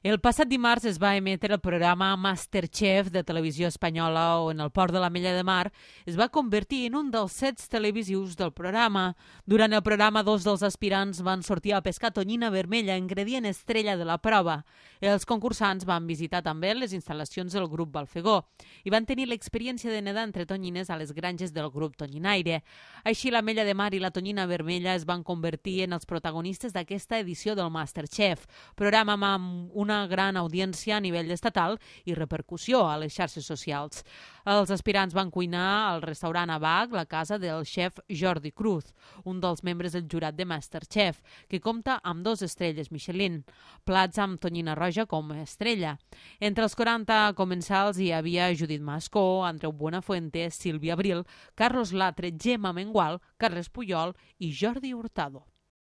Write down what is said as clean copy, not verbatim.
El passat dimarts es va emetre el programa Masterchef de Televisió Espanyola, on el port de l'Ametlla de Mar es va convertir en un dels sets televisius del programa. Durant el programa, dos dels aspirants van sortir a pescar tonyina vermella, ingredient estrella de la prova. Els concursants van visitar també les instal·lacions del grup Balfegó i van tenir l'experiència de nedar entre tonyines a les granges del grup Tonyinaire. Així, l'Ametlla de Mar i la tonyina vermella es van convertir en els protagonistes d'aquesta edició del Masterchef, programa amb una gran audiència a nivell estatal i repercussió a les xarxes socials. Els aspirants van cuinar al restaurant Abac, la casa del xef Jordi Cruz, un dels membres del jurat de Masterchef, que compta amb 2 estrelles Michelin, plats amb tonyina roja com a estrella. Entre els 40 comensals hi havia Judit Mascó, Andreu Buenafuente, Sílvia Abril, Carlos Latre, Gemma Mengual, Carles Puyol i Jordi Hurtado.